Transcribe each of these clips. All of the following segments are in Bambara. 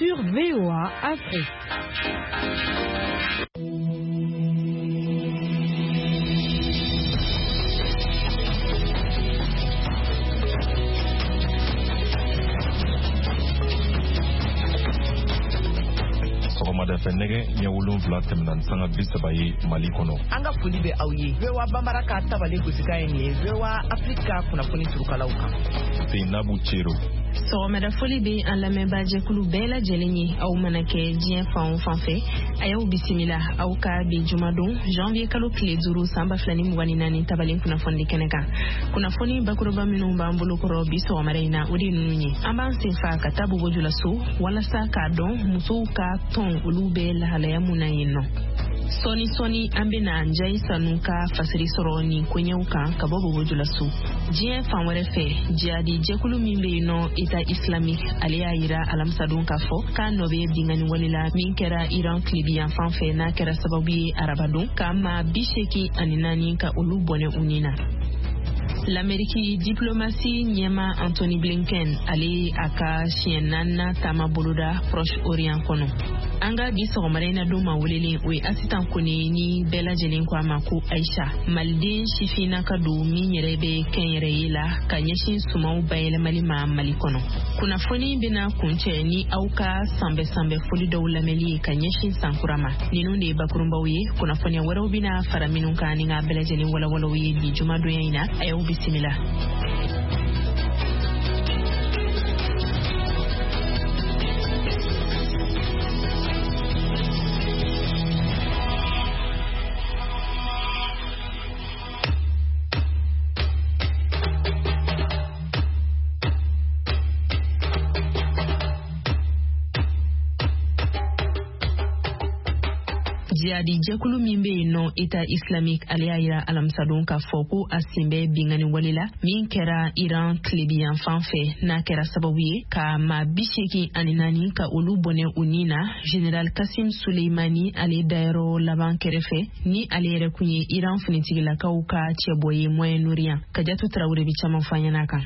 Sur VOA Afrique. Sɔgɔmada fɛ, nɛgɛ ɲɛ 7 tɛmɛna ni sanga 30 ye Mali kɔnɔ. An ka foli bɛ aw ye. VOA Bambara ka tabale gosikan ye nin ye, VOA Afrique ka kunnafoni turukalaw kan. Seinabu Cero. Sɔgɔmada foli bɛ an lamɛnbaajɛkulu bɛɛ lajɛlen ye. Aw mana kɛ diɲɛ fan o fan fɛ, a y'aw bisimila aw ka bi jumadon, janvier kalo tile 5, san 2024, tabalen kunnafoni kɛnɛ kan. Kunnafoni bakuruba minnu b'an bolo kɔrɔ bi sɔgɔmada in na, o de ye ninnu ye: an b'an sen fa ka taa Bobo Julaso walasa k'a dɔn musow ka tɔn, olu bɛ lahalaya mun na yen nɔ. Sɔɔni sɔɔni, an bɛna Njayi Sanu ka fasiri sɔrɔ nin koɲɛw kan ka bɔ Bobo Julaso. Diɲɛ fan wɛrɛ fɛ, jihadi jɛkulu min bɛ yen nɔ, État islamique, ale y'a yira alamisadon k'a fɔ k'a nɔ bɛ binkanni wale la min kɛra Iran tilebiyanfan fɛ, n'a kɛra sababu ye arabadon ka maa 84 ka olu bɔnɛ u ni na. Lameriki diplomasi ɲɛma Antony Blinken, ale ye a ka siɲɛ naaninan taama boloda Proche Orient kɔnɔ. An ka bi sɔgɔmada in na don ma welelen, o ye Asitan Kone, ni bɛɛ lajɛlen ko a ma ko Aisha, maliden sifinnaka don min yɛrɛ bɛ kɛnyɛrɛye la ka ɲɛsin sumanw bayɛlɛmali ma Mali kɔnɔ. Kunnafoni bɛna kuncɛ ni aw ka sanbɛ sanbɛ foli dɔw lamɛnli ye ka ɲɛsin sankura ma. Ninnu de ye bakurunbaw ye. Kunnafoniya wɛrɛw bɛna fara minnu kan ni k'a bɛɛ lajɛlen walawalaw ye bi jumadonya in na. A y'aw bisimila. Jihadi jɛkulu min bɛ yen nɔ, État islamique, ale y'a yira alamisadon k'a fɔ ko a sen bɛ binkanni wale la min kɛra Iran tilebiyanfan fɛ, n'a kɛra sababu ye ka maa 84 ka olu bɔnɛ u ni na, général Kasim Suleimani ale dayɔrɔ laban kɛrɛfɛ, ni ale yɛrɛ kun ye Iran finitigilakaw ka cɛbɔ ye Moyen-Orient. Kajatu Tarawele bɛ caman fɔ an ɲɛna kan.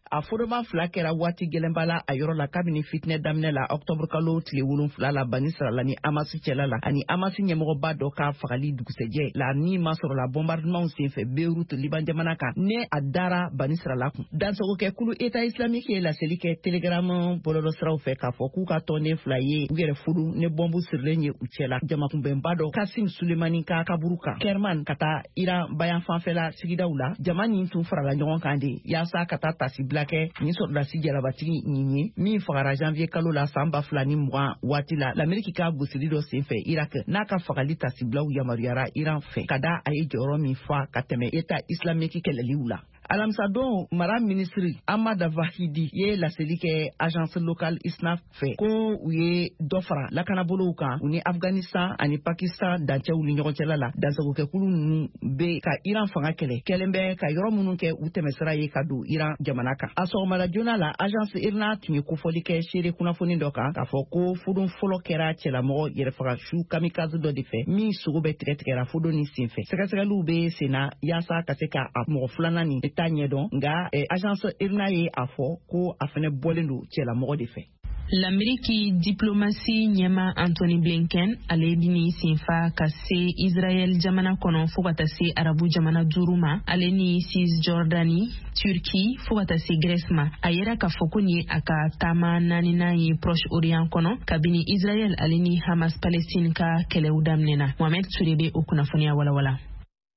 A fodoma fila kɛra waati gɛlɛnba la a yɔrɔ la kabini fitinɛ daminɛ la, ɔktɔburu kalo tile 7 la, Bani Sirala ni Amasi cɛla la, ani Amasi ɲɛmɔgɔba dɔ ka fagali dugusɛjɛ la ni masɔrɔla bombardement senfɛ Beirut, Liban jamana kan, ne a dara Bani Sirala kun. Dansɔgɔkɛkulu État islamique ye laseli kɛ Telegram bɔlɔlɔsiraw fɛ k'a fɔ k'u ka tɔnden fila ye u yɛrɛ furu ni bɔnbu sirilen ye u cɛla jamakunbɛnba dɔ Kasim Sulemani ka kaburu kan Kerman ka taa Iran bayan fanfɛla sigidaw la. Jama nin tun farala ɲɔgɔn kan de yaasa ka taa tasibila kɛ nin sɔrɔdasi jalabatigi nin ye min fagara janvier kalo la san 2020 waati la, Lameriki ka gosili dɔ senfɛ Irak, n'a ka fagali tasibilaw yamaruyara Iran fɛ ka da a ye jɔyɔrɔ min fa ka tɛmɛ État islamique kɛlɛliw la. Alamisadon, mara minisiri Ahmad Vahidi ye laseli kɛ agence locale ISNA fɛ ko u ye dɔ fara lakanabolow kan u ni Afghanistan ani Pakistan dancɛw ni ɲɔgɔn cɛla la. Dansagokɛkulu ninnu bɛ ka Iran fanga kɛlɛ kɛlen bɛ ka yɔrɔ minnu kɛ u tɛmɛsira ye ka don Iran jamana kan. A sɔgɔmada joona la, agence IRNA tun ye kofɔli kɛ seere kunnafoni dɔ kan k'a fɔ ko fodon fɔlɔ kɛra cɛlamɔgɔ yɛrɛfaga su kamikaze dɔ de fɛ min sogo bɛ tigɛ tigɛra fodon ni senfɛ. Sɛgɛsɛgɛliw bɛ senna yaasa ka se ka a mɔgɔ filanan nin ta ɲɛdɔn, nka agence IRNA ye a fɔ ko a fɛnɛ bɔlen don cɛlamɔgɔ de fɛ. Lameriki diplomasi ɲɛma Antony Blinken, ale bini senfa ka se Israɛl jamana kɔnɔ fɔɔ ka taa se arabu jamana duuru ma, ale ni Cisjordanie, Turquie, fɔɔ ka taa se Grèce ma. A yera k'a fɔ ko nin ye a ka taama naaninan ye Proche Orient kɔnɔ kabini Israɛl ale ni Hamas Palestine ka kɛlɛw daminɛna. Mohamed Ture bɛ o kunnafoniya walawala.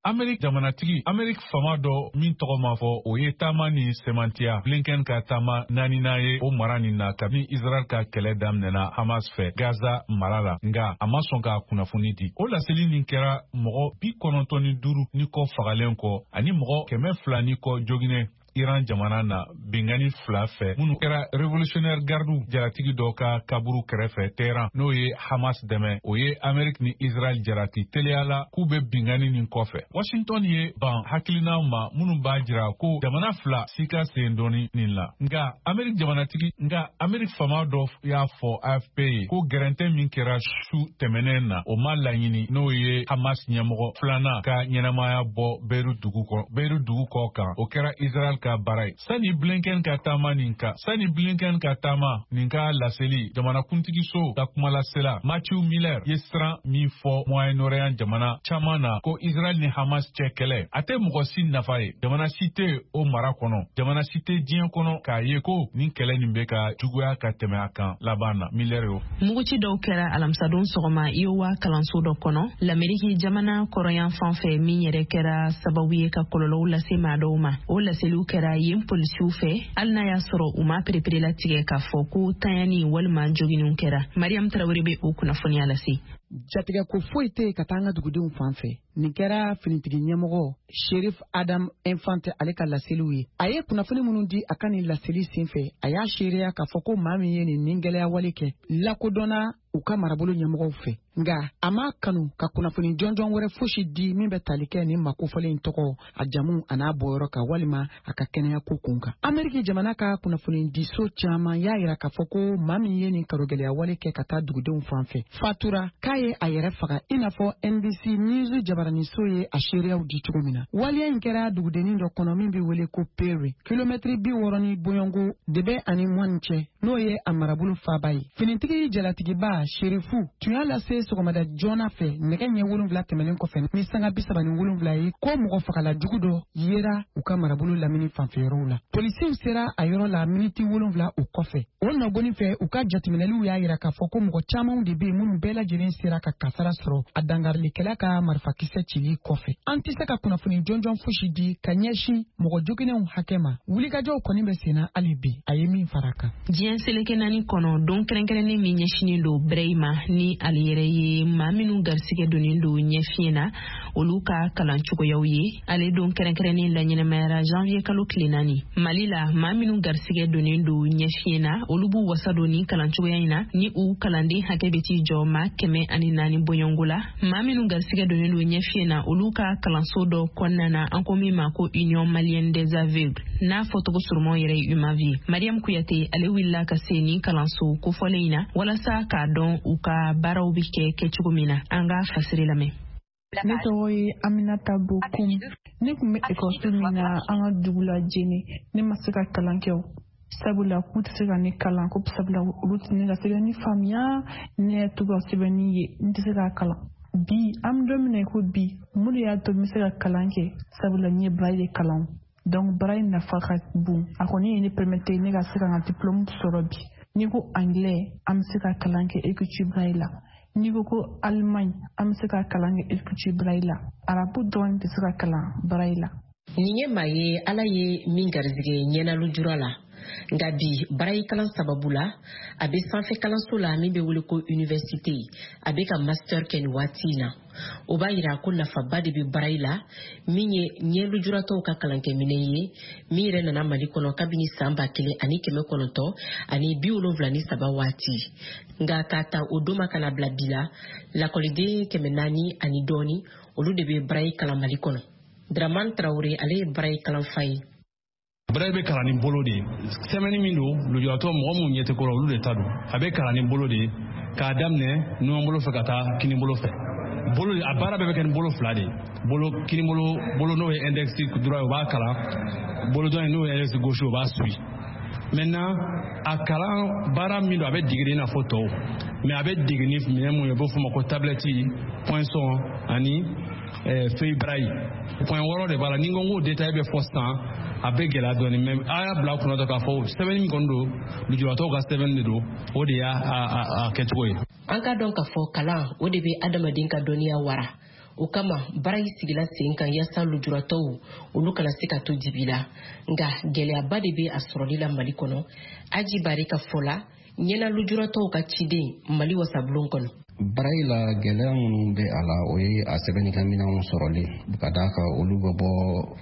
Amerik jamanatigi, Amerik fama dɔ min tɔgɔ ma fɔ, o ye taama ni sɛmantiya. Blinken ka taama naaninan ye o mara nin na kabini Israel ka kɛlɛ daminɛna Hamas fɛ Gaza mara la, nga a ma sɔn ka kunnafoni di. O laseli nin kɛra mɔgɔ 95 ni kɔ fagalen kɔ ani mɔgɔ 200 ni kɔ joginɛ Iran jamana na bingani fila fɛ minnu kɛra Révolutionnaire Garde jalatigi dɔ ka kaburu kɛrɛfɛ Tehran, n'o ye Hamas dɛmɛ. O ye Amerique ni Israel jalaki teliya la k'u bɛ bingani nin kɔfɛ. Washington ye ban hakilina ma minnu b'a jira ko jamana fila si ka sen dɔɔni nin la, nka Amerique jamanatigi, nka Amerique fama dɔ y'a fɔ AFP ye ko gɛrɛntɛ min kɛra su tɛmɛnen na, o ma laɲini, n'o ye Hamas ɲɛmɔgɔ filanan ka ɲɛnamaya bɔ Beirut dugu kɔ kan, o kɛra Israel ka ka baara ye. Sani Blinken ka taama nin ka sani Blinken ka taama nin ka laseli, jamanakuntigiso ka kumalasela Matthew Miller ye siran min fɔ Moyen-Orient jamana caman na ko Israël ni Hamas cɛ kɛlɛ, a tɛ mɔgɔ si nafa ye. Jamana si tɛ o mara kɔnɔ, jamana si tɛ diɲɛ kɔnɔ k'a ye ko nin kɛlɛ nin bɛ ka juguya ka tɛmɛ a kan laban na. Miller y'o. Muguci dɔw kɛra alamisadon sɔgɔma Iowa kalanso dɔ kɔnɔ, Lameriki jamana kɔrɔyan fan fɛ, min yɛrɛ kɛra sababu ye ka kɔlɔlɔw lase maa dɔw ma. O laseliw kɛra yen polisiw fɛ, hali n'a y'a sɔrɔ u ma pereperelatigɛ k'a fɔ ko tanyani walima joginniw kɛra. Mariam Tarawele bɛ o kunnafoniya lase. Jatigɛ ko foyi tɛ yen ka taa an ka dugudenw fan fɛ. Nin kɛra finitigi ɲɛmɔgɔ Sheriff Adam Infante ale ka laseliw ye. A ye kunnafoni minnu di a ka nin laseli senfɛ, a y'a seereya k'a fɔ ko maa min ye nin nin gɛlɛya wale kɛ lakodɔnna u ka marabolo ɲɛmɔgɔw fɛ, nka a m'a kanu ka kunnafoni jɔnjɔn wɛrɛ fosi di min bɛ tali kɛ nin makofɔlen in tɔgɔ, a jamu an'a bɔyɔrɔ kan walima a ka kɛnɛya ko kun kan. Ameriki jamana ka kunnafoni diso caman y'a yira k'a fɔ ko maa min ye nin karogɛlɛya wale kɛ ka taa dugudenw fan fɛ fatura, k'a ye a yɛrɛ faga, i n'a fɔ NBC News jabaraniso ye a seereyaw di cogo min na. Waleya in kɛra dugudennin dɔ kɔnɔ min bɛ wele ko Perry, kilomɛtiri 60 ni bɔɲɔgɔnko de bɛ ani Moine cɛ, n'o ye a marabolo faaba ye. Finitigi jalatigiba Sherifu tun y'a lase sɔgɔmada joona fɛ nɛgɛ ɲɛ 7 tɛmɛnen kɔfɛ ni sanga 37 ye ko mɔgɔ fagala jugu dɔ yera u ka marabolo lamini fanfɛyɔrɔw la. Polisiw sera a yɔrɔ la miniti 7 o kɔfɛ. O nɔgɔnin fɛ, u ka jateminɛliw y'a yira k'a fɔ ko mɔgɔ camanw de bɛ yen minnu bɛɛ lajɛlen sera ka kasara sɔrɔ a dangarilikɛla ka marifakisɛ cili kɔfɛ. An tɛ se ka kunnafoni jɔnjɔn fosi di ka ɲɛsin mɔgɔ joginnenw hakɛ ma. Wulikajɔw kɔni bɛ senna hali bi, a ye min fara a kan. Diɲɛ seleke naani kɔnɔ, don kɛrɛnkɛrɛnnen min ɲɛsinnen don braille ma, ni ale yɛrɛ ye maa minnu garisigɛ donnen don ɲɛfiɲɛ na, olu ka kalan cogoyaw ye. Ale don kɛrɛnkɛrɛnnen laɲɛnamayara janvier kalo tile 4. Mali la, maa minnu garisigɛ donnen don ɲɛfiɲɛ na, olu b'u wasa don nin kalan cogoya in na, ni u kalanden hakɛ bɛ t'i jɔ maa 104 bɔɲɔgɔnko la. Maa minnu garisigɛ donnen don ɲɛfiɲɛ na, olu ka kalanso dɔ kɔnɔna na, an ko min ma ko Union malienne des aveugles, n'a fɔcogo surumanw yɛrɛ ye UMAV. Mariam Kuyate ale wulila ka se nin kalanso kofɔlen in na walasa k'a dɔn u ka baaraw bɛ kɛ kɛcogo min na. An ka fasiri lamɛn. Ne tɔgɔ ye Aminata Bokum. Ne tun bɛ ekɔliso min na an ka dugu la Jene, ne ma se ka kalan kɛ o, sabula k'u tɛ se ka ne kalan, ko sabula olu tɛ ne ka sɛbɛnni faamuya, ne yɛrɛ t'u ka sɛbɛnni ye, n tɛ se k'a kalan. Bi an bɛ don min na i ko bi, mun de y'a to n bɛ se ka kalan kɛ? Sabula n ye braille de kalan. Donc braille nafa ka bon, a kɔni ye ne permettre ne ka se ka n ka diplôme sɔrɔ bi. N'i ko anglais, an bɛ se ka kalan kɛ écriture braille la. N'i ko ko Allemagne, an bɛ se ka kalan kɛ écriture braille la. Arabu dɔrɔn tɛ se ka kalan braille la. Nin ye maa ye Ala ye min garisɛgɛ ɲɛna lujura la, nka bi braille kalan sababu la, a bɛ sanfɛ kalanso la min bɛ wele ko université, a bɛ ka master kɛ nin waati in na. O b'a yira ko nafaba de bɛ braille la, min ye ɲɛ lujuratɔw ka kalankɛminɛn ye, min yɛrɛ nana Mali kɔnɔ kabini san 1973 waati. Nka k'a ta o don ma ka na bila bi la, lakɔliden 400 ani dɔɔni, olu de bɛ braille kalan Mali kɔnɔ. Dramane Traoré ale ye braille kalanfa ye. Braille bɛ kalan ni bolo de ye. Sɛbɛnni min don, lujuratɔ mɔgɔ minnu ɲɛ tɛ ko la, olu de ta don. A bɛ kalan ni bolo de ye k'a daminɛ numan bolo fɛ ka taa kini bolo fɛ. Bolo a baara bɛɛ bɛ kɛ ni bolo fila de ye. Bolo kini bolo, bolo n'o ye index droit ye, o b'a kalan. Bolo dɔ in n'o ye index gauche ye, o b'a suit. Maintenant a kalan baara min don, a bɛ dege i n'a fɔ tɔw, mais a bɛ dege ni minɛn mun ye, u b'o fɔ ma ko tablette, poinçon ani feuille braille. Point 6 de b'a la. Ni n ko n k'o détail bɛ fɔ sisan, a bɛ gɛlɛya dɔɔni, mais a y'a bila kunna dɔrɔn k'a fɔ sɛbɛnni min kɔni don, lujuratɔw ka sɛbɛnni de don, o de y'a a kɛcogo ye. An k'a dɔn k'a fɔ kalan o de bɛ adamaden ka dɔnniya wara. O kama braille sigila sen kan yaasa lujuratɔw olu kana se ka to dibi la. Nka gɛlɛyaba de bɛ a sɔrɔli la Mali kɔnɔ. Aji Bari ka fɔ la, ɲɛna lujuratɔw ka ciden Mali wasabulon kɔnɔ. Braille la, gɛlɛya minnu bɛ a la, o ye a sɛbɛnnikɛminɛnw sɔrɔli, ka d'a kan olu bɛ bɔ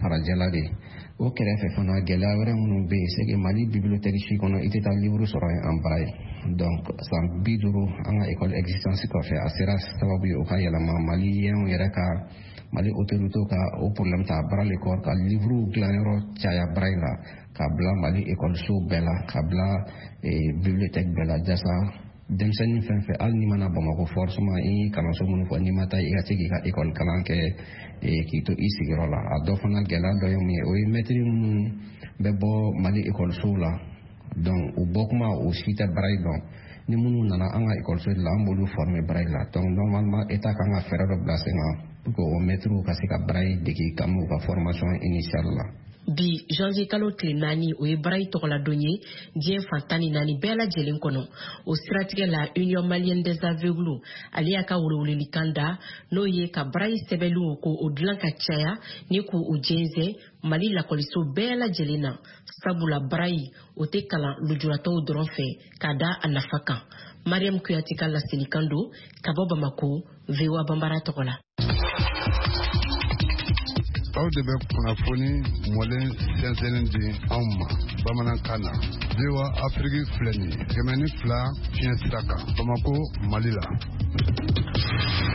farajɛla de. O kɛrɛfɛ fana, gɛlɛya wɛrɛ minnu bɛ yen, c'est que Mali bibliothèque si kɔnɔ, i tɛ taa livre sɔrɔ yen en braille. Donc san 50 an ka école existence kɔfɛ, a sera sababu ye o ka yɛlɛma maliyɛnw yɛrɛ ka, Mali autorité ka o problème ta à bras le corps ka livre dilanyɔrɔ caya braille la, ka bila Mali école so bɛɛ la, ka bila bibliothèque bɛɛ la, jasa Denmisɛnnin fɛn fɛn, hali n'i ma na Bamakɔ forcément, i ye kalanso minnu fɔ, n'i ma taa, i ka se k'i ka école kalan kɛ k'i to i sigiyɔrɔ la. A dɔ fana gɛlɛya dɔ ye mun ye? O ye mɛtiri minnu bɛ bɔ Mali ekɔlisow la, donc u bɔ kuma, u si tɛ braille dɔn. Ni minnu nana an ka ekɔliso de la, an b'olu former braille la. Donc normalement, état kan ka fɛɛrɛ dɔ bila sen kan pour que o mɛtiriw ka se ka braille dege kabini u ka formation initiale la. Bi janvier kalo tile 4, o ye braille tɔgɔladon ye diɲɛ fan 14 bɛɛ lajɛlen kɔnɔ. O siratigɛ la, Union malienne des aveugles, ale y'a ka welewelelikan da, n'o ye ka braille sɛbɛnniw ko o dilan ka caya ni k'u jɛnsɛn Mali lakɔliso bɛɛ lajɛlen na, sabula braille o tɛ kalan lujuratɔw dɔrɔn fɛ, ka da a nafa kan. Mariam Kuyate ka laselikan don ka bɔ Bamako, VOA Banbara tɔgɔ la. Aw de bɛ kunnafoni mɔlen sɛnsɛnnen di anw ma bamanankan na. VOA Afiriki filɛ nin ye, 102 fiɲɛ sira kan, Bamako, Mali la.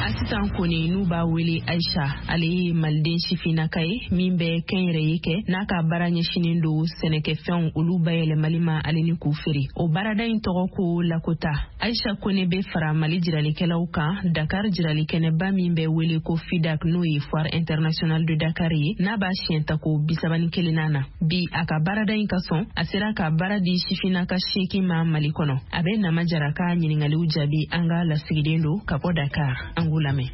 Asitan Kone, n'u b'a wele Aisha, ale ye maliden sifinnaka ye min bɛ kɛnyɛrɛye kɛ, n'a ka baara ɲɛsinen don sɛnɛkɛfɛnw olu bayɛlɛmali ma ale ni k'u feere. O baarada in tɔgɔ ko Lakota. Aisha Kone bɛ fara Mali jiralikɛlaw kan Dakar jiralikɛnɛba min bɛ wele ko FIDAK, n'o ye Foire internationale de Dakar ye, n'a b'a siɲɛ tako 31nan na bi. A ka baarada in ka sɔn, a sera ka baara di sifinnaka 8 ma Mali kɔnɔ. A bɛ Nama Jara ka ɲiningaliw jaabi, an ka lasigiden don ka bɔ Dakar. An k'u lamɛn.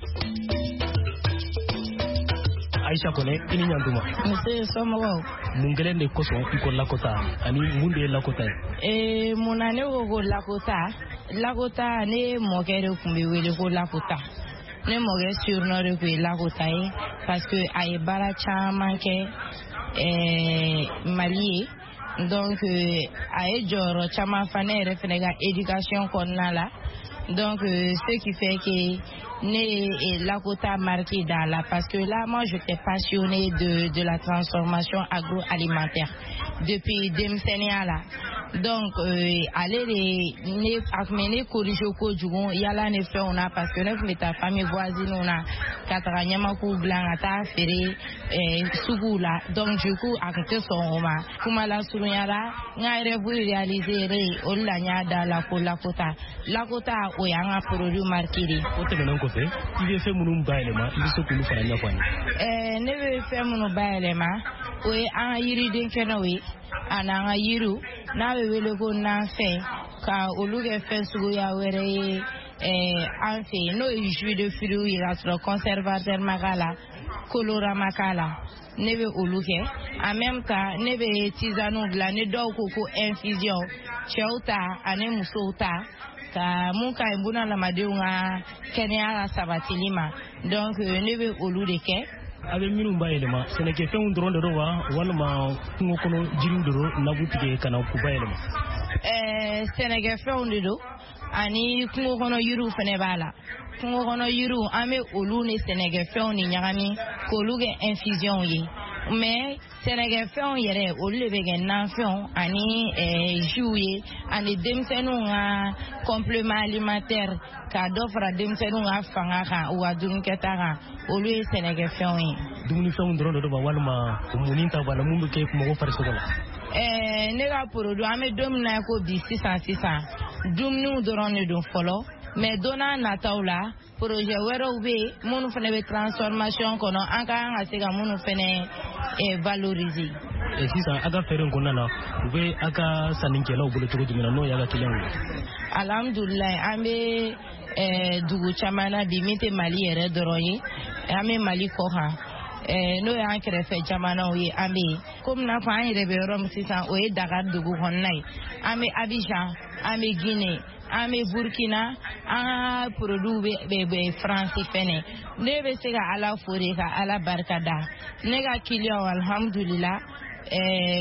Aisha Kone, i ni ɲantuma. Nse, somɔgɔw? Mun kelen de kosɔn i ko Lakota, ani mun de ye Lakota ye? Mun na ne ko ko Lakota? Lakota, ne mɔkɛ de tun bɛ wele ko Lakota. Ne mɔkɛ surnom de tun ye Lakota ye, parce que a ye baara caman kɛ Mali ye. Donc a ye jɔyɔrɔ caman fa ne yɛrɛ fɛnɛ ka éducation kɔnɔna la. Donc ce qui fait que ne ye Lakota marqué dans la, parce que là, moi, j'étais passionnée de la transformation agroalimentaire depuis denmisɛnninya la. Donc ale de ne a tun bɛ ne corriger kojugu yala ni fɛnw na, parce que ne tun bɛ taa famille voisine na ka taga ɲamakuw dilan ka taa feere suguw la. Donc du coup, a tun tɛ sɔn o ma. Kuma lasurunya la, n ka rêve réaliser o de la, n y'a da la ko Lakota. Lakota, o y'an ka produit marqué de ye. O tɛmɛnen kɔfɛ, i bɛ fɛn minnu bayɛlɛma, i bɛ se k'olu fana ɲɛfɔ an ye? Ne bɛ fɛn minnu bayɛlɛma, o ye an ka yiriden kɛnɛw ye ani an ka yiriw n'a bɛ wele ko nanfɛn, ka olu kɛ fɛn suguya wɛrɛ ye an fɛ yen, n'o ye jus de fruits ye, k'a sɔrɔ conservateur ma k'a la, colorant ma k'a la. Ne bɛ olu kɛ. En même temps, ne bɛ tisanew dilan, ni dɔw ko ko infusion, cɛw ta ani musow ta, ka mun ka ɲi bunadamadenw ka kɛnɛya ka sabatili ma. Donc ne bɛ olu de kɛ. A bɛ minnu bayɛlɛma, sɛnɛkɛfɛnw dɔrɔn de don wa, walima kungo kɔnɔ jiriw de don n'a b'u tigɛ ka na k'u bayɛlɛma? Sɛnɛkɛfɛnw de don, ani kungo kɔnɔ yiriw fɛnɛ b'a la. Kungo kɔnɔ yiriw, an bɛ olu ni sɛnɛkɛfɛnw ni ɲagami k'olu kɛ infusion ye. Mais sɛnɛkɛfɛnw yɛrɛ, olu de bɛ kɛ nanfɛnw ani jus ye, ani denmisɛnninw ka complément alimentaire, ka dɔ fara denmisɛnninw ka fanga kan, u ka dumunikɛta kan, olu ye sɛnɛkɛfɛnw ye. Dumunifɛnw dɔrɔn de don wa, walima munni ta b'a la, mun bɛ kɛ mɔgɔ farisogo la? Ne ka produit, an bɛ don min na ko bi, sisan sisan, dumuniw dɔrɔn de don fɔlɔ. Mais don n'a nataw la, projet wɛrɛw bɛ yen minnu fana bɛ transformation kɔnɔ, an ka kan ka se ka minnu fana valoriser. Sisan, a ka feere in kɔnɔna na, u bɛ a ka sannikɛlaw bolo cogo jumɛn na, n'o y'a ka clients ye? Alhamdulilayi, an bɛ dugu caman na bi min tɛ Mali yɛrɛ dɔrɔn ye. An bɛ Mali kɔ kan, n'o y'an kɛrɛfɛ jamanaw ye, an bɛ yen. Komi n'a fɔ an yɛrɛ bɛ yɔrɔ min sisan, o ye Dakar dugu kɔnɔna ye. An bɛ Abidjan, an bɛ Guinée, an bɛ Burkina, an ka produit bɛ France fɛnɛ. Ne bɛ se ka Ala fo de, ka Ala barika da. Ne ka client, alhamdulila,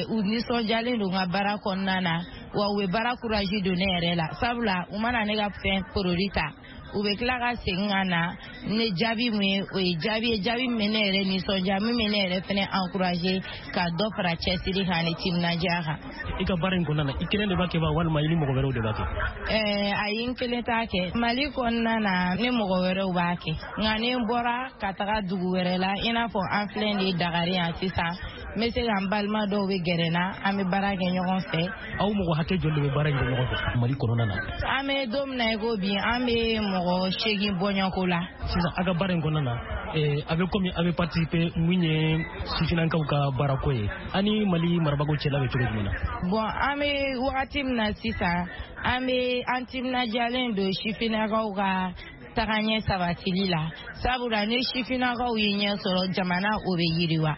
u nisɔndiyalen don n ka baara kɔnɔna na, wa u bɛ baara courage don ne yɛrɛ la, sabula u mana ne ka fɛn produit ta, u bɛ tila ka segin ka na ne jaabi mun ye, o ye jaabi ye, jaabi min bɛ ne yɛrɛ nisɔndiya, min bɛ ne yɛrɛ fɛnɛ encourager ka dɔ fara cɛsiri kan ani timinandiya kan. I ka baara in kɔnɔna na, i kelen de b'a kɛ wa, walima i ni mɔgɔ wɛrɛw de b'a kɛ? Ayi, n kelen t'a kɛ. Mali kɔnɔna na, ne mɔgɔ wɛrɛw b'a kɛ, nka ni n bɔra ka taga dugu wɛrɛ la, i n'a fɔ an filɛ nin ye Dakar yan sisan, n bɛ se ka n balima dɔw bɛ gɛrɛ n na, an bɛ baara kɛ ɲɔgɔn fɛ. Aw mɔgɔ hakɛ joli de bɛ baara in kɛ ɲɔgɔn fɛ Mali kɔnɔna na? An bɛ don min na i ko bi, an bɛ mɔgɔ 8 bɔɲɔgɔnko la. Sisan a ka baara in kɔnɔna na, a bɛ komi a bɛ participer mun ye sifinnakaw ka baarako ye, ani Mali marabagaw cɛla bɛ cogo jumɛn na? Bon, an bɛ wagati min na sisan, an bɛ an timinandiyalen don sifinnakaw ka tagaɲɛ sabatili la, sabula ni sifinnakaw ye ɲɛ sɔrɔ, jamana o bɛ yiriwa.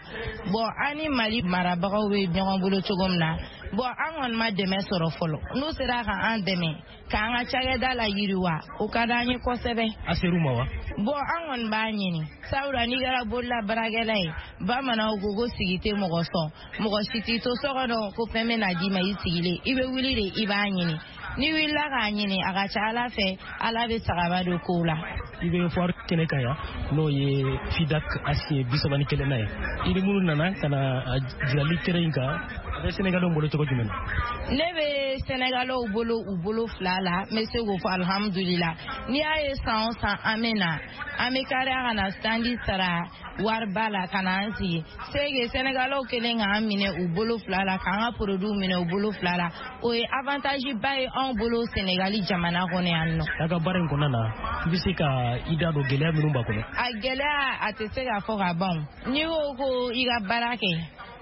Bon, an ni Mali marabagaw bɛ ɲɔgɔn bolo cogo min na, bon, an kɔni ma dɛmɛ sɔrɔ fɔlɔ. N'u sera ka an dɛmɛ k'an ka cakɛda la yiriwa, o ka d'an ye kosɛbɛ. A ser'u ma wa? Bon, an kɔni b'a ɲini, sabula n'i kɛra bolola baarakɛla ye, bamananw ko ko sigi tɛ mɔgɔ sɔn, mɔgɔ si t'i to so kɔnɔ ko fɛn bɛ na d'i ma i sigilen, i bɛ wuli de i b'a ɲini. N'i wulila k'a ɲini, a ka ca Ala fɛ, Ala bɛ sagaba don kow la. I bɛ foire kɛnɛ kan yan, n'o ye FIDAK a siɲɛ 31nan ye. I ni minnu nana ka na jirali kɛnɛ in kan, a bɛ Sénégalais bolo cogo jumɛn na? Ne bɛ Sénégalais bolo u bolo fila la, n bɛ se k'o fɔ alihamudulila. N'i y'a ye san o san an bɛ na, an bɛ kariya ka na standi sara wariba la ka na an sigi. C'est que Sénégalais kɛlen k'an minɛ u bolo fila la, k'an ka produit minɛ u bolo fila la, o ye avantage ba ye anw bolo Sénégali jamana kɔnɔ yan nɔ. A ka baara in kɔnɔna na, i bɛ se ka i da don gɛlɛya minnu b'a kɔnɔ? A gɛlɛya, a tɛ se ka fɔ ka ban. N'i ko ko i ka baara kɛ,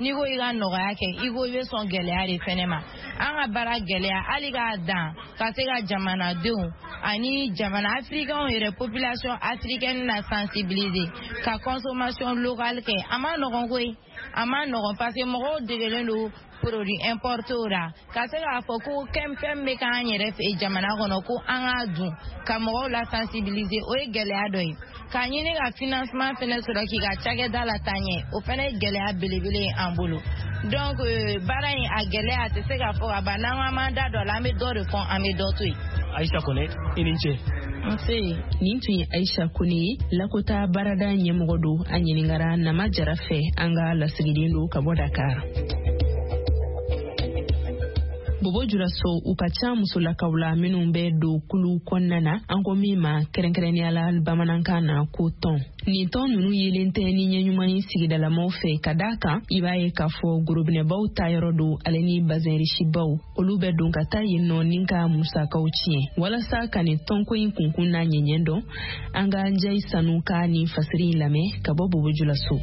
n'i ko i ka nɔgɔya kɛ, i ko i bɛ sɔn gɛlɛya de fɛnɛ ma. An ka baara gɛlɛya, hali k'a dan ka se ka jamanadenw ani jamana africains yɛrɛ, population africaine na sensibiliser ka consommation locale kɛ, a ma nɔgɔn koyi, a ma nɔgɔn, parce que mɔgɔw degelen don produit importé la. Ka se k'a fɔ ko fɛn bɛ k'an yɛrɛ fɛ jamana kɔnɔ ko an k'a dun, ka mɔgɔw la sensibiliser, o ye gɛlɛya dɔ ye. K'a ɲini ka financement fɛnɛ sɔrɔ k'i ka cakɛda la taa ɲɛ, o fɛnɛ ye gɛlɛya belebele ye an bolo. Donc baara in a gɛlɛya a tɛ se ka fɔ ka ban. N'an ko an b'an da don a la, an bɛ dɔ de fɔ, an bɛ dɔ to yen. Ayisa Kone, i ni ce. Nse. Nin tun ye Ayisa Kone ye, Lakota baarada ɲɛmɔgɔ don. A ɲininkara Nama Jara fɛ, an ka lasigiden don ka bɔ Dakar. Bobo Julaso, u ka ca musolakaw la minnu bɛ don kulu kɔnɔna na, an ko min ma kɛrɛnkɛrɛnnenya la bamanankan na ko tɔn. Nin tɔn ninnu yelen tɛ ni ɲɛ ɲuman ye sigidalamaw fɛ, ka d'a kan i b'a ye k'a fɔ gorobinɛbaw ta yɔrɔ don, ale ni bazɛnrisibaw, olu bɛ don ka taa yen nɔ ni ka musakaw tiɲɛ. Walasa ka nin tɔnko in kunkun n'a ɲɛɲɛ dɔn, an ka Njayi Sanu ka nin fasiri in lamɛn ka bɔ Bobo Julaso.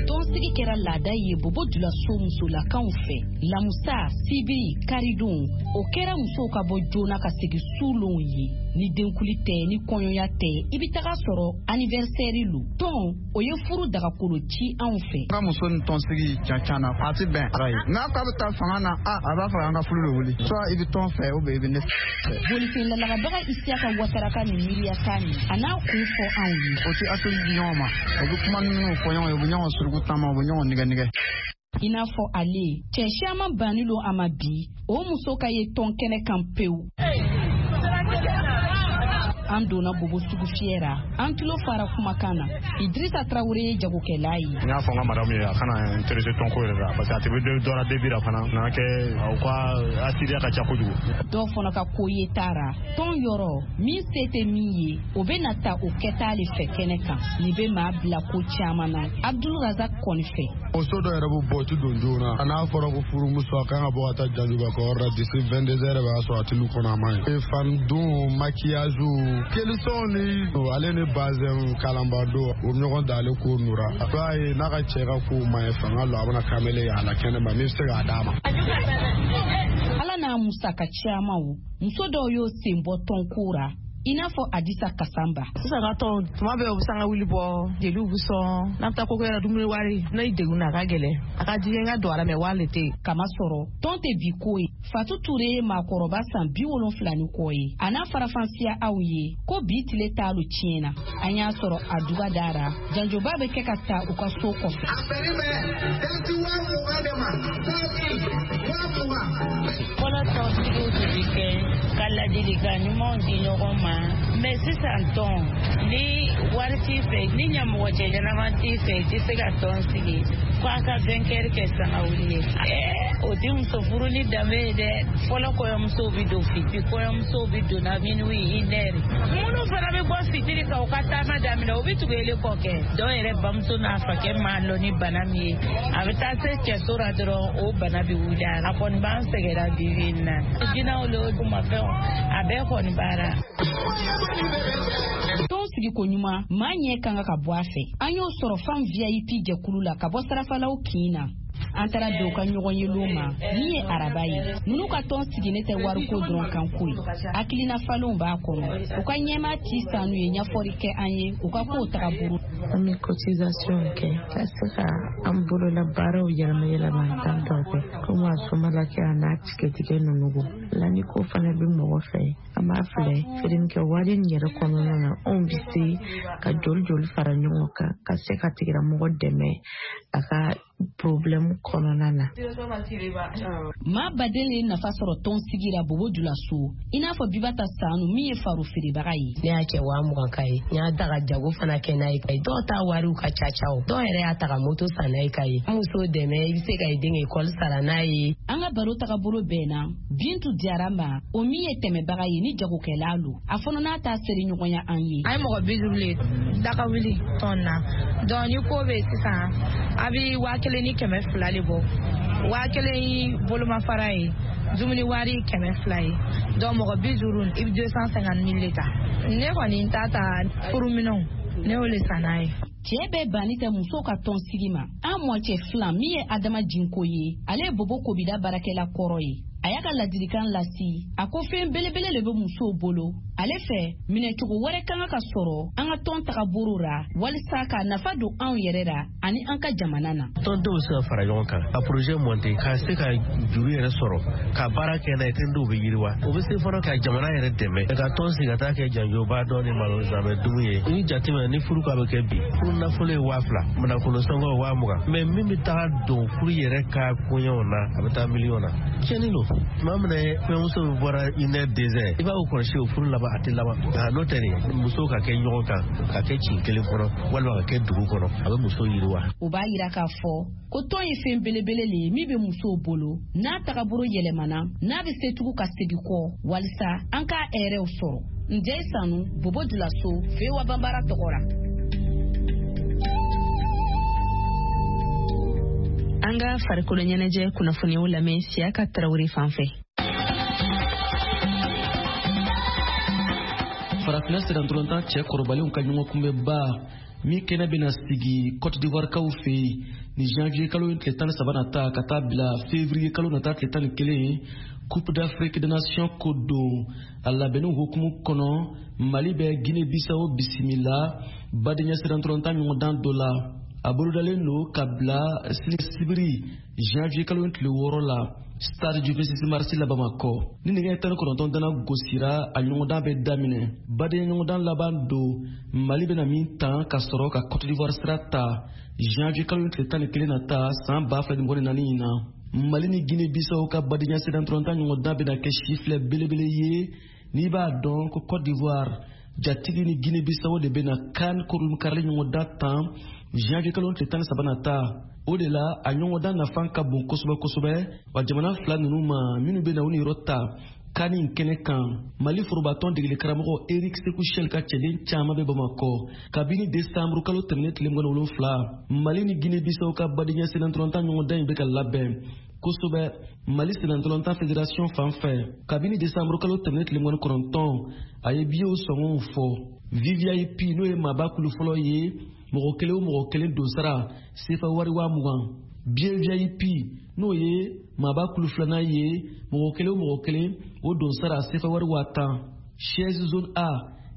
Tɔnsigi kɛra laada ye Bobo Julaso musolakaw fɛ. Lamusa, sibiri, karidon, o kɛra musow ka bɔ joona ka segin sulonw ye. Ni denkuli tɛ, ni kɔɲɔya tɛ, i bɛ taga sɔrɔ anniversaire lo. Tɔn, o ye furu dagakolo ci anw fɛ. Ka muso ni tɔnsigi can na, a tɛ bɛn ara ye. N'a k'a bɛ taa fanga na, a b'a fɔ an ka furu de wuli. Soit i bɛ tɔn fɛ, ou bien i bɛ ne fɛ. Bolifɛn lalagabaga Isiyaka Watara ka nin miiriya kan nin, a n'a kun fɔ anw ye. O tɛ hakili di ɲɔgɔn ma, o bɛ kuma minnu fɔ ɲɔgɔn ye, u bɛ ɲɔgɔn suruku taama, u bɛ ɲɔgɔn nɛgɛ nɛgɛ. I n'a fɔ ale, cɛ siaman banni lo a ma bi, o muso ka ye tɔn kɛnɛ kan pewu. An donna Bobo sugu fiyɛ ra, an tulo fara kumakan na. Idrissa Traoré ye jagokɛla ye. N y'a fɔ n ka madamu ye a kana intéressé tɔnko yɛrɛ la, parce que a tɛ bɛ dɔ la début la fana nana kɛ u ka asiriya ka ca kojugu. Dɔw fana ka ko ye taara tɔn yɔrɔ min se tɛ min ye, o bɛ na ta o kɛta le fɛ kɛnɛ kan. Nin bɛ maa bila ko caman na. Abdul Razak kɔni fɛ. Muso dɔ yɛrɛ bɛ bɔ, o tɛ don joona. A n'a fɔra ko furumuso a kan ka bɔ ka taa janjuba kɔyɔrɔ la d'ici 22 heures b'a sɔrɔ a tɛ lu kɔnɔ, a ma ɲi. Fan don maquillage kelisɔn ni ale ni bazɛn kalanba don, o ɲɔgɔn da ale ko nura. A b'a ye n'a ka cɛ ka kow ma ɲi, fanga lɔ a bɛna kamalen ye a la kɛnɛ ma min bɛ se k'a d'a ma. Ala n'a musaka caman, muso dɔw y'o sen bɔ tɔnko ra, i n'a fɔ Adisa Kasamba. Sisan ka tɔn tuma bɛɛ u bɛ sanga wuli bɔ, jeliw bɛ sɔn, n'an bɛ taa koko yɛrɛ dumuni wari, n'a ye degun na a ka gɛlɛn, a ka di n ka don a la mɛ wari le tɛ yen. Kama sɔrɔ tɔn tɛ bi ko ye. Fatu Ture ye maakɔrɔba san 70 ni kɔ ye. A n'a farafansiya aw ye ko bi tile t'alu tiɲɛ na. An y'a sɔrɔ a duga dara, janjoba bɛ kɛ ka ta u ka so kɔfɛ. A bɛnnen bɛ dati 20,000 de ma, 20,000. Fɔlɔ tɔnsigiw tun bɛ kɛ ka ladilikan ɲumanw di ɲɔgɔn ma, mɛ sisan tɔn, ni wari t'i fɛ, ni ɲɛmɔgɔ cɛ ɲɛnama t'i fɛ, i tɛ se ka tɔn sigi ko a ka vainqueur kɛ sangawuli ye. O ti muso furu ni danbe ye dɛ. Fɔlɔ kɔɲɔmusow bɛ don fitiri, kɔɲɔmusow bɛ don na minuit, une heure. Minnu fana bɛ bɔ fitiri ka u ka taama daminɛ, u bɛ tugu ele kɔ kɛ. Dɔw yɛrɛ bamuso n'a fakɛ m'a lɔn ni bana min ye, a bɛ taa se cɛso la dɔrɔn, o bana bɛ wuli a la. A kɔni b'an sɛgɛnra bi bi in na. Jinɛw le mafɛnw, a bɛɛ kɔni baara. Tɔn sigiko ɲuman, maa ɲɛ kan ka bɔ a fɛ. An y'o sɔrɔ Femme VIP jɛkulu la ka bɔ Sarafalaw kin na. An taara bɛn u ka ɲɔgɔn ye ma min ye araba ye. Ninnu ka tɔn sigilen tɛ wariko dɔrɔn kan ko ye, hakilina falenw b'a kɔnɔ. U ka ɲɛmaa ci sanu ye ɲɛfɔli kɛ an ye u ka kow tagabolo. An bɛ cotisation kɛ ka se ka an bolola baaraw yɛlɛma yɛlɛma tan tɔ kɛ komi a somalakɛ a n'a tigɛtigɛ ninnu la ni ko fana bɛ mɔgɔ fɛ, an b'a filɛ feerenikɛ wari in yɛrɛ kɔnɔna na, anw bɛ se ka joli joli fara ɲɔgɔn kan ka se ka tigilamɔgɔ dɛmɛ a ka problème kɔnɔna na. Maa baden ye nafa sɔrɔ tɔn sigi la Bobo Julaso, i n'a fɔ Bibata Sanu min ye faro feerebaga ye. Ne y'a cɛ 20,000 ka ye, n y'a ta ka jago fana kɛ n'a ye. Dɔw ta wariw ka ca ca o, dɔw yɛrɛ y'a ta ka moto san n'a ye ka ye. Muso dɛmɛ, i bɛ se ka i den ekɔli sara n'a ye. An ka baro tagabolo bɛnna Bintu Diyara ma, o min ye tɛmɛbaga ye ni jagokɛla lo. A fana n'a ta seri ɲɔgɔnya an ye. An ye mɔgɔ 50 le daga wuli tɔn na. Donc ni ko bɛ sisan, a bɛ 1200 le bɔ. 1000 ye bolomafara ye, dumuni wari 200 ye. Donc mɔgɔ 50, i bɛ 250 000 le ta. Ne kɔni ta ta furuminɛnw, ne y'o le san n'a ye. Cɛɛ bɛɛ banni tɛ musow ka tɔn sigi ma. An mɔcɛ filan min ye Adama Jinko ye, ale ye Bobo Kobida baarakɛla kɔrɔ ye. A y'a ka ladilikan lasi, a ko fɛn belebele le bɛ musow bolo. Ale fɛ, minɛcogo wɛrɛ kan ka sɔrɔ an ka tɔn tagabolo ra walisa ka nafa don anw yɛrɛ ra ani an ka jamana na. Tɔndenw bɛ se ka fara ɲɔgɔn kan ka projet monter, ka se ka juru yɛrɛ sɔrɔ ka baara kɛ n'a ye, tɔndenw bɛ yiriwa. O bɛ se fana ka jamana yɛrɛ dɛmɛ ka tɔn sigi ka taa kɛ janjoba dɔ ni malo zanbɛ dumu ye. Ni jateminɛ ni furu k'a bɛ kɛ bi, furu nafolo ye 2000, nafolo sɔngɔ 20,000, mais min bɛ taga don furu yɛrɛ ka koɲɛw na, a bɛ taa miliyɔn na. Tiɲɛni don. Tuma min na kɔɲɔmuso bɛ bɔra une heure, 2 heures, i b'a kɔlɔsi o furu laban, a tɛ laban. Nka n'o tɛ nin, musow ka kɛ ɲɔgɔn kan, ka kɛ kin kelen kɔnɔ walima ka kɛ dugu kɔnɔ, a bɛ muso yiriwa. O b'a yira k'a fɔ ko tɔn ye fɛn belebele le ye min bɛ musow bolo, n'a tagabolo yɛlɛmana, n'a bɛ se tugun ka segin kɔ walisa an k'a hɛrɛw sɔrɔ. Njɛ Sanu, Bobo Julaso, VOA Banbara tɔgɔ la. An ka farikolo ɲɛnajɛ kunnafoniyaw lamɛn Siyaka Tarawele fan fɛ. Farafinna sennantolatan cɛ kɔrɔbalenw ka ɲɔgɔnkunbɛnba min kɛnɛ bɛna sigi Cote d'Ivoire kaw fɛ yen ni janvier kalo tile 13 nata ka taa bila février kalo nata tile 11, Coupe d'Afrique des Nations ko don. A labɛnniw hukumu kɔnɔ, Mali bɛ Guinée Bissau bisimila badenya sennantolatan ɲɔgɔndan dɔ la. A bolodalen don ka bila sini sibiri janvier kalo tile 6 la, stade du 26 mars la Bamakɔ. Ni nɛgɛ 19 dana gosira, a ɲɔgɔndan bɛ daminɛ. Badenya ɲɔgɔndan laban don Mali bɛna min tan ka sɔrɔ ka Cote d'Ivoire sira ta janvier kalo tile 11 nata san 2024 in na. Mali ni Guinée Bissau ka badenya sennantolatan ɲɔgɔndan bɛna kɛ sifilɛ belebele ye, n'i b'a dɔn ko Cote d'Ivoire jatigi ni Guinée Bissau de bɛna CAN kurunkarili ɲɔgɔndan tan janvier kalo tile 13 nata. O de la, a ɲɔgɔndan nafa ka bon kosɛbɛ kosɛbɛ wa jamana fila ninnu ma minnu bɛna u niyɔrɔ ta CAN in kɛnɛ kan. Mali forobatɔn degeli karamɔgɔ Eric Sekou Chelle ka cɛden caman bɛ Bamakɔ kabini desanburu kalo tɛmɛnen tile 27. Mali ni Guinée Bissau ka badenya sennantolatan ɲɔgɔndan in bɛ ka labɛn kosɛbɛ Mali sennantolatan fédération fan fɛ kabini desanburu kalo tɛmɛnen tile 29. A ye biyew sɔngɔw fɔ. VVIP, n'o ye maaba kulu fɔlɔ ye, mɔgɔ kelen o mɔgɔ kelen donsara sefa wari 20,000. Biye VIP, n'o ye maaba kulu filanan ye, mɔgɔ kelen o mɔgɔ kelen o donsara sefa wari 10,000. Chaise zone A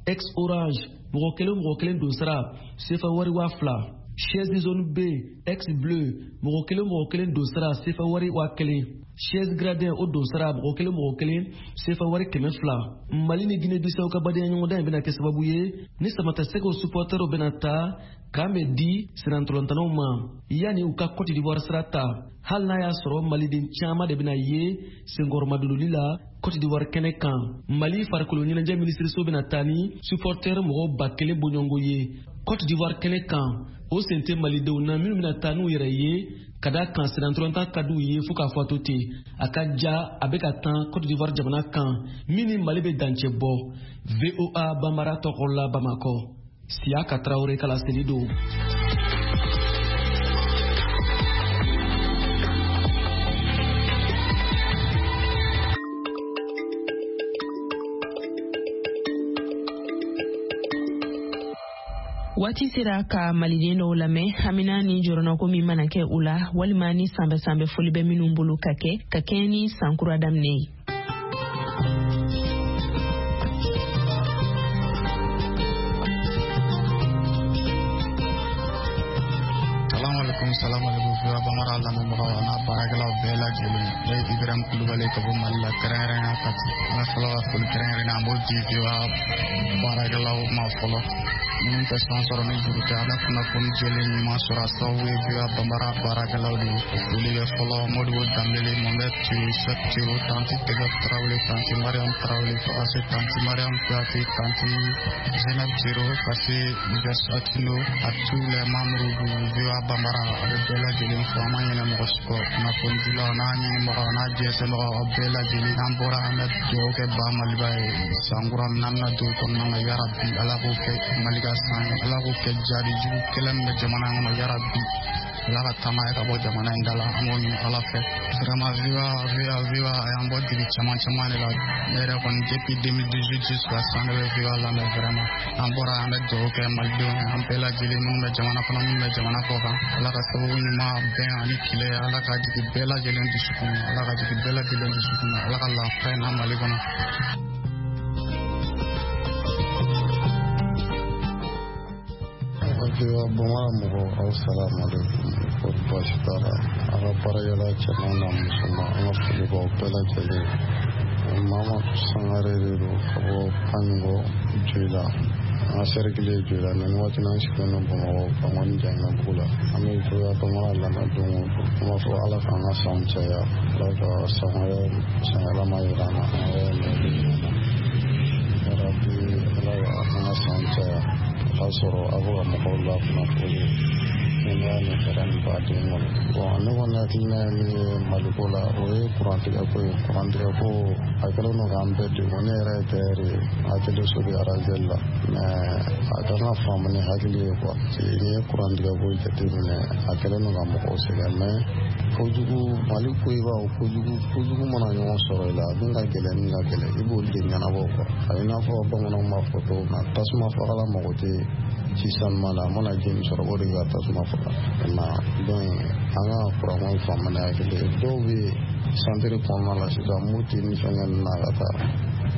ex orange, mɔgɔ kelen o mɔgɔ kelen donsara sefa wari 2000. Chaise zone B ex bleu, mɔgɔ kelen o mɔgɔ kelen donsara sefa wari 1000. Chaise gradin, o donsara mɔgɔ kelen mɔgɔ kelen sefa wari 200. Mali ni Guinée Bissau ka badenya ɲɔgɔndan in bɛna kɛ sababu ye ni samatasɛgɛw supporterw bɛna taa k'an bɛ di sennantolatannaw ma yanni u ka Cote d'Ivoire sira ta, hali n'a y'a sɔrɔ maliden caman de bɛna ye senkɔrɔmadonli la Cote d'Ivoire kɛnɛ kan. Mali farikolo ɲɛnajɛ minisiriso bɛna taa ni supporter mɔgɔ 1000 bɔɲɔgɔnko ye Cote d'Ivoire kɛnɛ kan. O sen tɛ malidenw na minnu bɛna taa n'u yɛrɛ ye. Ka da kan sennantolatan ka d'u ye fo k'a fɔ a to ten, a ka ja a bɛ ka tan Cote d'Ivoire jamana kan min ni Mali bɛ dancɛ bɔ. VOA Banbara tɔgɔ la Bamakɔ, Siyaka Tarawele ka laseli don. Waati sera ka maliden dɔw lamɛn hamina ni jɔrɔnako min mana kɛ u la, walima ni sanbɛ-sanbɛ foli bɛ minnu bolo ka kɛ ka kɛɲɛ ni sankura daminɛ ye. Salamu alaikum VOA Bambara lamɛnbagaw a n'a baarakɛlaw bɛɛ lajɛlen. Ne ye Ibrahim Kulubali ka bɔ Mali la, kɛrɛnkɛrɛnnenya Kati. An ka fɔlɔ ka foli kɛrɛnkɛrɛnnen an b'o di VOA baarakɛlaw ma fɔlɔ. Minnu tɛ san sɔrɔ ni juru tɛ, an bɛ kunnafoni jɛlen ɲuman sɔrɔ a sababu ye VOA Bambara baarakɛlaw de ye. Foli bɛ fɔlɔ Modibo Danbele, Mohamed Tiro, Sɛk Tiro, Tanti Tɛgɛ Tarawele, Tanti Mariam Tarawele, fo ka se Tanti Mariam Kuyate, Tanti Zenab Tiro, ka se Versatino, à tous les membres du VOA Bambara, a bɛ bɛɛ lajɛlen fo, an ma ɲinɛ mɔgɔ si kɔ. Kunnafonidilaw n'a ɲinibagaw n'a jɛnsɛnbagaw, aw bɛɛ lajɛlen. N'an bɔra, an bɛ dugawu kɛ ba Maliba ye sankura min n'an bɛna don o kɔnɔna na, yarabi Ala k'o kɛ Mali ka san ye, Ala k'o kɛ jaabi jugu kɛlɛ min bɛ jamana in kɔnɔ, yarabi Ala ka taa n'a ye ka bɔ jamana in da la, an b'o ɲini Ala fɛ. Vraiment VOA VOA VOA a y'an bɔ dibi caman caman de la. Ne yɛrɛ kɔni depuis 2018 jusqu'à sisan ne bɛ VOA lamɛn vraiment. An bɔra, an bɛ dugawu kɛ malidenw ye, an bɛɛ lajɛlen minnu bɛ jamana kɔnɔ, minnu bɛ jamana kɔ kan. Ala ka sababu ɲuman bɛn ani kile, Ala ka jigin bɛɛ lajɛlen dusukun na, Ala ka jigin bɛɛ lajɛlen dusukun na, Ala ka lafiya na Mali kɔnɔ. VOA Bambara mɔgɔw, aw salamu alaikum. Kɔri baasi t'a la. A ka baarakɛla cɛman n'a musoman, an ka foli b'aw bɛɛ lajɛlen. Mamadu Sangare de don ka bɔ Panigo Joyila. An ka sɛrikili ye Joyila. Nin waati n'an sigilen don Bamakɔ Bankɔni Janginɛbugu la. An bɛ VOA Bambara lamɛn don o don. An b'a fɔ Ala k'an ka sanw caya. Ala ka san wɛrɛ sanyɛlɛma yira an na. An yɛrɛ ɲɛ na. Yarabi Ala k'an ka sanw caya. O k'a sɔrɔ aw bɛ ka mɔgɔw lakunnafoni kɛnɛya ni hɛrɛ ni baden kɔnɔ. Bon, ne kɔni hakilina ye min ye Maliko la, o ye kurantigɛko ye. Kurantigɛko a kɛlen don k'an bɛɛ degun. Ne yɛrɛ ye tailleur ye, atelier so bɛ Arazɛli la, mais a kan ka faamu ni hakili ye quoi. N'i ye kurantigɛko jateminɛ, a kɛlen don ka mɔgɔw sɛgɛn, mais kojugu Mali ko i b'a kojugu kojugu mana ɲɔgɔn sɔrɔ i la, min ka gɛlɛn min ka gɛlɛn i b'olu de ɲɛnabɔ quoi. A bɛ i n'a fɔ bamananw b'a fɔ cogo min na, tasuma fagala mago tɛ ji sanuman la, a mana ji min sɔrɔ o de bɛ ka tasuma faga. Donc an ka kuranko in faamu ni hakili ye. Dɔw bɛ santiri kɔnɔna la sisan, Moti ni fɛnkɛ ninnu na ka taa,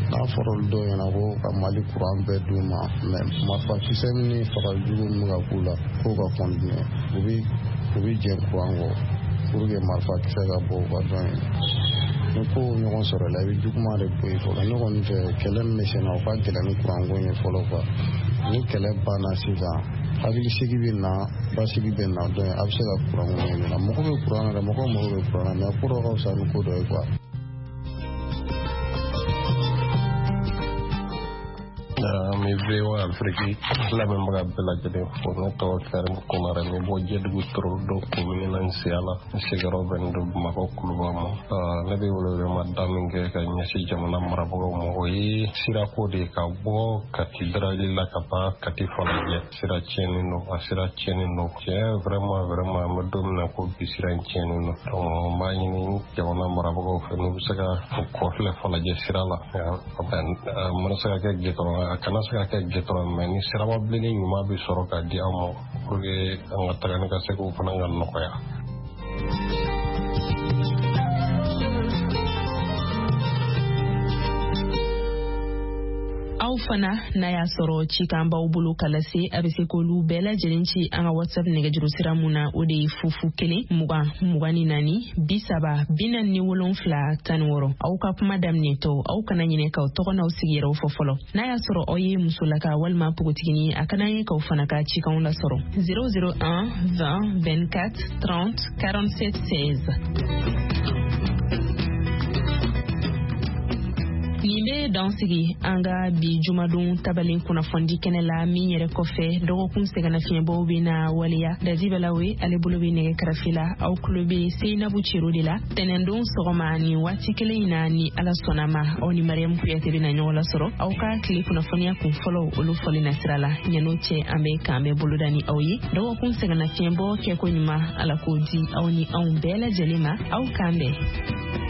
n'a fɔra olu dɔw ɲɛna ko ka Mali kuran bɛɛ d'u ma, mais marifakisɛ ni fagajugu min bɛ ka k'u la k'o ka continuer, u bɛ jɛn kuran kɔ pour que marifakisɛ ka bɔ u ka dɔn ye. Ni ko ɲɔgɔn sɔrɔ la, i bɛ juguman de bɔ yen fɔlɔ. Ne kɔni fɛ, kɛlɛ min bɛ sen na, o ka gɛlɛn ni kuranko ye fɔlɔ quoi. Ni kɛlɛ banna sisan, hakilisigi bɛ na, basigi bɛ na, dɔn a bɛ se ka kuranko ɲɛɲini. Mɔgɔ bɛ kuran na dɛ, mɔgɔ mago bɛ kuran na, mais ko dɔ ka fisa ni ko dɔ ye quoi. An bɛ VOA Afrique lamɛnbaga bɛɛ lajɛlen fo. Ne tɔgɔ Karim Konare, n bɛ bɔ Jɛdugu Torodo komini na Nsiyala. N sigiyɔrɔ bɛnnen don Bamakɔ Kuluba ma. Ne bɛ welewelema min kɛ ka ɲɛsin jamana marabagaw ma, o ye sirako de ye, ka bɔ Kati Darali la ka taa Kati Falajɛ. Sira tiɲɛnen don, a sira tiɲɛnen don tiɲɛ, vraiment vraiment, an bɛ don min na ko bi, sira in tiɲɛnen don. Donc n b'a ɲini jamana marabagaw fɛ, n'u bɛ se ka kɔfilɛ Falajɛ sira la, a mana se ka kɛ gitɔrɔn, a kana se ka kɛ gitɔrɔn, mais ni siraba bilenni ɲuman bɛ sɔrɔ ka di an ma pour que an ka taga ni ka seginw fana ka nɔgɔya. Aw fana n'a y'a sɔrɔ cikan b'aw bolo ka lase, a bɛ se k'olu bɛɛ lajɛlen ci an ka WhatsApp nɛgɛjuru sira mun na, o de ye 0 0 20 24 30 47 16. Aw ka kuma daminɛtɔ, aw kana ɲinɛ k'aw tɔgɔ n'aw sigiyɔrɔw fɔ fɔlɔ. N'a y'a sɔrɔ aw ye musolaka walima npogotiginin, a ka d'an ye k'aw fana ka cikanw lasɔrɔ. 0 0 1 20 24 30 47 16. Nin bɛ dan sigi an ka bi jumadon tabalen kunnafonidi kɛnɛ la min yɛrɛ kɔfɛ dɔgɔkun sɛgɛnnafiɲɛbɔw bɛ na waleya. Dadi Balawe ale bolo bɛ nɛgɛ karafe la, aw tulo bɛ Seyinabu Cero de la. Tɛnɛndon sɔgɔma nin waati kelen in na, ni Ala sɔnna ma, aw ni Mariyamu Kuyate bɛ na ɲɔgɔn lasɔrɔ aw ka tile kunnafoniya kun fɔlɔw olu fɔli nasira la. Ɲan'o cɛ, an bɛ k'an bɛɛ boloda ni aw ye. Dɔgɔkun sɛgɛnnafiɲɛbɔ kɛko ɲuman, Ala k'o di aw ni anw bɛɛ lajɛlen ma. Aw k'an bɛn.